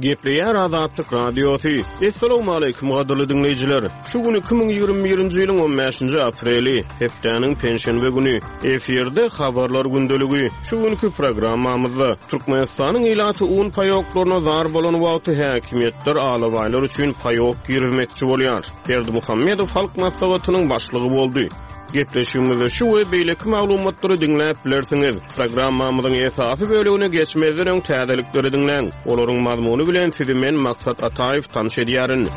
Gepleýär Azatlyk Radiosy. Essalawmaleýkim gadyrly diňleýjiler! Şu gün 2021-nji ýylyň 15-nji apreli, hepdäniň penşenbe güni. Efirde Habarlar gündeligi. Şu günki programmamyzda Türkmenistanyň ilaty un paýoklaryna zar bolan wagty häkimiýetler alabaýlar üçin paýok girizmekçi bolýar. Berdimuhamedow Halk Maslahatynyň başlygy boldy. Gepleşigimizde şu we beýleki maglumatlary diňläp bilersiňiz. Programmamyzyň esasy bölegine geçmezden öň täzelikleri diňläň. Olaryň mazmuny bilen sizi men Maksat Ataýew tanyş edýärin.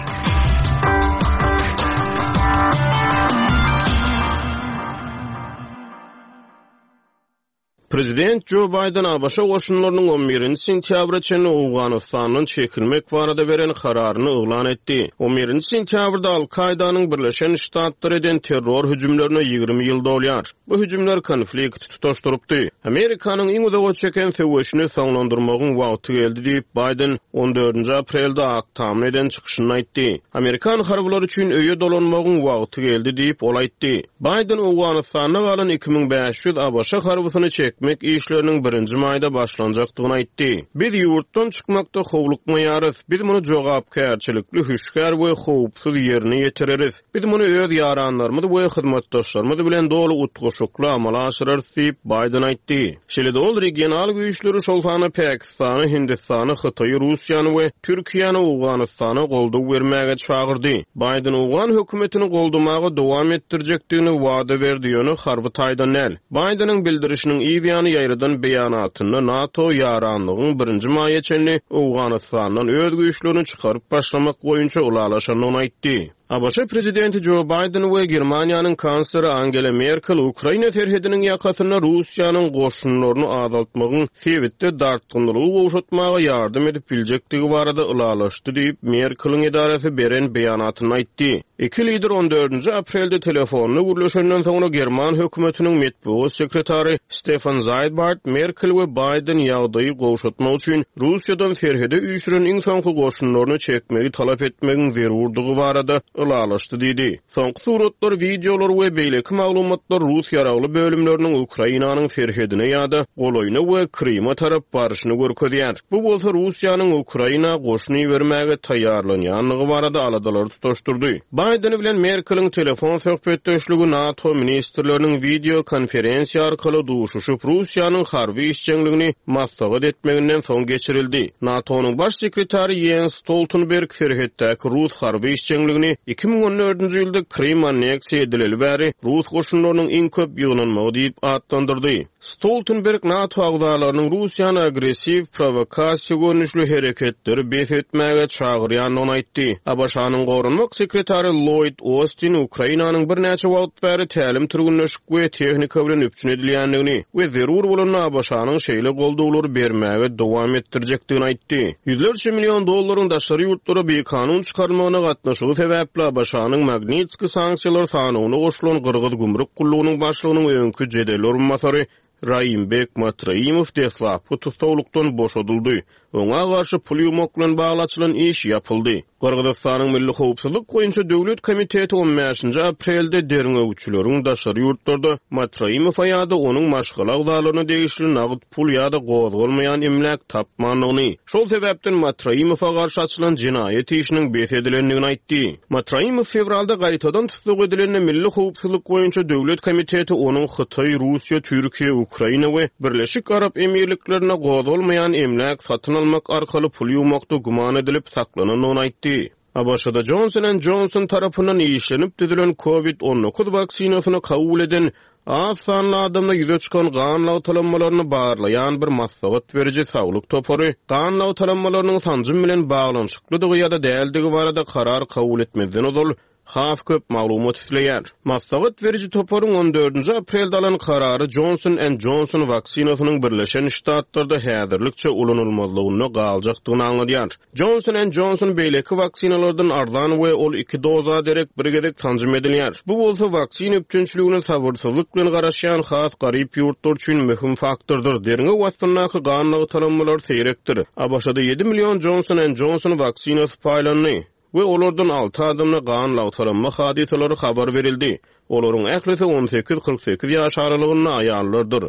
Prezident Jo Baýden ABŞ goşunlarynyň on birinji sentýabra çenli Owganystandan çekilmek barada beren kararyny yglan etdi. On birinji sentýabrda Al-Kaýdanyň Birleşen Ştatlara eden terror hüjümlerine 20 ýyl dolýar. Bu hüjümler konflikti tutaşdyrypdy. Amerikanyň iň uzaga çeken söweşini soňlandyrmagyň wagty geldi diýip, Baýden on dördünji aprelde Ak Tamda eden çykyşynda aýtdy. Amerikan harbylary üçin öýe dolanmagyň wagty geldi diýip, ol aýtdy. Baýden Owganystanda galan 2500 ABŞ harbysyny çekmek işleriniň birinji maýda başlanjakdygyny aýtdy. Biz ýurtdan çykmakda howlukmaýarys. Biz muny jogapkärçilikli, hüşgär we howpsuz ýerine ýetireris. Biz muny öz ýaranlarymyz we hyzmatdaşlarymyz bilen doly utgaşykly amala aşyrarys diýip, Baýden aýtdy. Şeýle-de ol regional güýçleri, şol sanda Pakistany, Hindistany, Hytaýy, Russiýany we Türkiýäni Owganystana goldaw bermäge çagyrdy. Baýden owgan hökümetini goldamaga dowam etdirjekdigini wada berdi, ýöne harby taýdan däl. Baýdeniň bildirişiniň yz ýany ýaýradan beýanatynda NATO ýaranlygyň birinji maýa çenli Owganystandan öz güýçlerini çykaryp başlamak boýunça ylalaşandygyny aýtdy. ABŞ prezidenti Jo Baýden we Germaniýanyň kansleri Angela Merkel Ukraina serhediniň ýakasynda Russiýanyň goşunlaryny azaltmagyň sebitde dartgynlylygy gowşatmaga ýardam edip biljekdigi barada ylalaşdy diýip, Merkeliň edarasy beren beýanatynda aýtdy. Iki lider on dördünji aprelde telefonda gürleşenden soňra german hökümetiniň metbugat sekretary Stefan Zaýbart Merkel we Baýden ýagdaýy gowşatmak üçin Russiýadan serhede üýşüren iň soňky goşunlaryny çekmegi talap etmegiň zerurdygy barada ylalaşdy diýdi. Soňky suratlar, wideolar we beýleki maglumatlar rus ýaragly bölümleriniň Ukrainanyň serhedine ýa-da golaýyna we Kryma tarap baryşyny görkezýär. Bu bolsa Russiýanyň Ukraina goşun ibermäge taýýarlanýandygy barada aladalary tutaşdyrdy. Baýden bilen Merkeliň telefon söhbetdeşligi NATO ministrleriniň wideo konferensiýa arkaly duşuşyp, Russiýanyň harby işjeňligini maslahat etmeginden soň geçirildi. NATO-nyň Baş sekretary Ýens Stoltenberg serhetdäki rus harby işjeňligini 2014-nji ýylda Krym anneksiýa edileli bäri rus goşunlarynyň iň köp ýygnanmagy diýip atlandyrdy. Stoltenberg NATO agzalarynyň Russiýany agressiw, prowokasiýa görnüşli hereketleri bes etmäge çagyrýandygyny aýtdy. ABŞ-nyň goranmak sekretary Lloýd Ostin Ukrainanyň birnäçe wagt bäri tälim-türgenleşik we tehnika bilen üpjün edilýändigini we zerur bolanda ABŞ-nyň şeýle goldawlary bermäge dowam etdirjekdigini aýtdy. Ýüzlerçe million dollaryň daşary ýurtlara bikanun çykarylmagyna gatnaşygy sebäpli ABŞ-nyň Magnitskiý sanksiýalar sanawyna goşulan Gyrgyz gümrük gullugynyň başlygynyň öňki jedel orunbasary Raimbek Matraimow deslapky tussaglykdan boşadyldy. Oňa garşy pul ýuwmak bilen bagly açylan iş ýapyldy. Gyrgyzystanyň Milli howpsuzlyk boýunça döwlet komiteti on bäşinji aprelde derňewçileriň daşary ýurtlarda Matraimowa ýa-da onuň maşgala agzalaryna degişli nagt pul ýa-da gozgalmaýan emläk tapmandygyny, şol sebäpden Matraimowa garşy açylan jenaýat işiniň bes edilendigini aýtdy. Matraimow fewralda gaýtadan tussag edilende Milli howpsuzlyk boýunça döwlet komiteti onuň Hytaý, Russiýa, Türkiýe, Ukraina we Birleşik Arap Emirliklerinde gozgalmaýan emläk satyn almak arkaly pul ýuwmakda güman edilip saklanandygyny aýtdy. ABŞ-da Johnson and Johnson tarapyndan işlenip düzülen Covid 19 waksinasyny kabul eden az sanly adamda ýüze çykan gan lagtalanmalaryny barlaýan bir maslahat beriji saglyk topary gan lagtalanmalarynyň sanjym bilen baglanyşyklydygy ýa-da däldigi barada karar kabul etmezden ozal has köp maglumat isleýär. Maslahat beriji toparyň on dördünji aprelde alan karary Johnson and Johnson waksinasynyň Birleşen Ştatlarda häzirlikçe ulanylmazlygynda galjakdygyny aňladýar. Johnson and Johnson beýleki waksinalardan arzan we ol iki doza derek bir gezek sanjym edilýär. Bu bolsa waksina üpjünçiligine sabyrsyzlyk bilen garaşýan has garyp ýurtlar üçin möhüm faktordyr. Derňew astyndaky gan lagtalanmalar seýrekdir. ABŞ-da ýedi million Johnson and Johnson waksinasy paýlandy we olardan alty adamda gan lagtalanma hadysalary habar berildi. Olaryň ählisi on sekiz, 48 ýaş aralygynda aýallardyr.